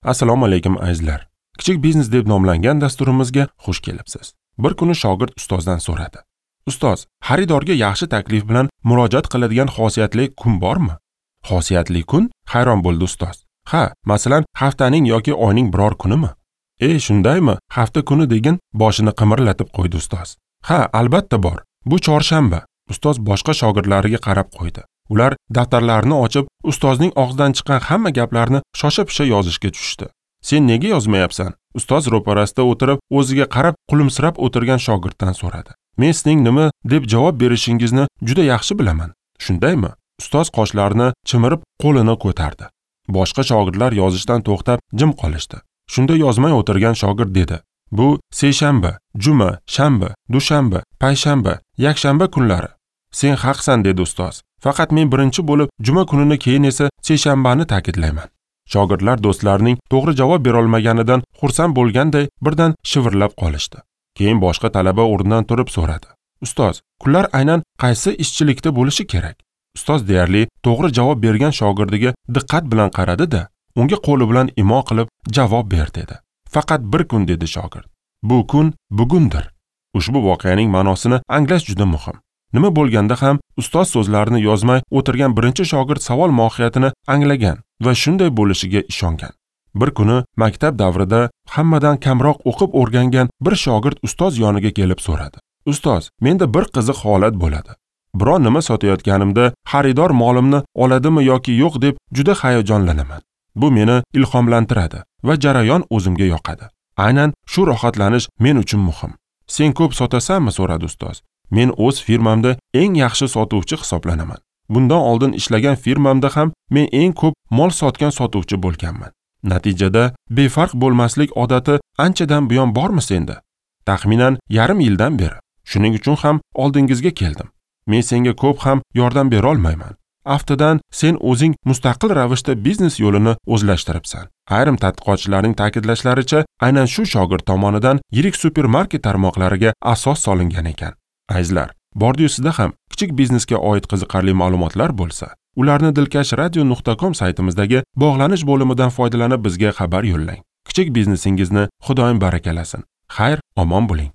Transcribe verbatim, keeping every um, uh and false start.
Assalomu alaykum azizlar. Kichik biznes deb nomlangan dasturimizga xush kelibsiz. Bir kuni shogird ustozdan so'radi. Ustoz, xaridorga yaxshi taklif bilan murojaat qiladigan xosiyatli kun bormi? Xosiyatli kun? Hayron bo'ldi ustoz. Ha, masalan, haftaning yoki oyning biror kunimi? E, shundaymi? Hafta kuni degin, boshini qimirlatib qo'ydi ustoz. Ha, albatta bor. Bu chorshanba. Ustoz boshqa shogirdlariga qarab qo'ydi. Ular daftarlarini ochib, ustozning og'zidan chiqqan hamma gaplarni shosha-pisha yozishga tushdi. Sen nega yozmayapsan? Ustoz ro'parasida o'tirib, o'ziga qarab kulimsirab o'tirgan shogirddan so'radi. Men sizning nima deb javob berishingizni juda yaxshi bilaman. Shundaymi? Ustoz qoshlarini chimirib, qo'lini ko'tardi. Boshqa shogirdlar yozishdan to'xtab, jim qolishdi. Shunda yozmay o'tirgan shogird dedi: Bu seshanba, juma, shanba, dushanba, payshanba, yakshanba kunlari. Sen haqsan, dedi ustoz. Faqat men birinchi bo'lib juma kunini, keyin esa seshanbani ta'kidlayman. Shogirdlar do'stlarining to'g'ri javob bera olmaganidan xursand bo'lganday birdan shivirlab qolishdi. Keyin boshqa talaba o'rnidan turib so'radi: Ustoz, kunlar aynan qaysi ishchilikda bo'lishi kerak? Ustoz deyarli to'g'ri javob bergan shogirdiga diqqat bilan qaradi-da, unga qo'li bilan imo qilib javob ber dedi. Faqat bir kun, dedi shogird. Bu kun bugundir. Ushbu voqeaning ma'nosini anglash juda muhim. Nima bo'lganda ham ustoz so'zlarini yozmay o'tirgan birinchi shogird savol mohiyatini anglagan va shunday bo'lishiga ishongan. Bir kuni maktab davrida hammadan kamroq o'qib o'rgangan bir shogird ustoz yoniga kelib so'radi. Ustoz, menda bir qiziq holat bo'ladi. Biron nima sotayotganimda xaridor molimni oladimi yoki yo'q deb juda hayajonlanaman. Bu meni ilhomlantiradi va jarayon o'zimga yoqadi. Aynan shu rohatlanish men uchun muhim. Sen ko'p sotasanmi? So'radi ustoz. Men o'z firmamda eng yaxshi sotuvchi hisoblanaman. Bundan oldin ishlagan firmamda ham men eng ko'p mol sotgan sotuvchi bo'lganman. Natijada befarq bo'lmaslik odati anchadan buyon bormi senda? Taxminan yarim yildan beri. Shuning uchun ham oldingizga keldim. Men senga ko'p ham yordam bera olmayman. Aftidan sen o'zing mustaqil ravishda biznes yo'lini o'zlashtiribsan. Ayrim tadqiqotchilarning ta'kidlashlaricha, aynan shu shogird tomonidan yirik supermarket tarmoqlariga asos solingan ekan. Azizlar, bordi-yu sizda ham kichik biznesga oid qiziqarli ma'lumotlar bo'lsa, ularni dilkash radio nuqta com saytimizdagi bog'lanish bo'limidan foydalanib bizga xabar yo'llang. Kichik biznesingizni Xudoyim barakalasin. Xayr, omon bo'ling.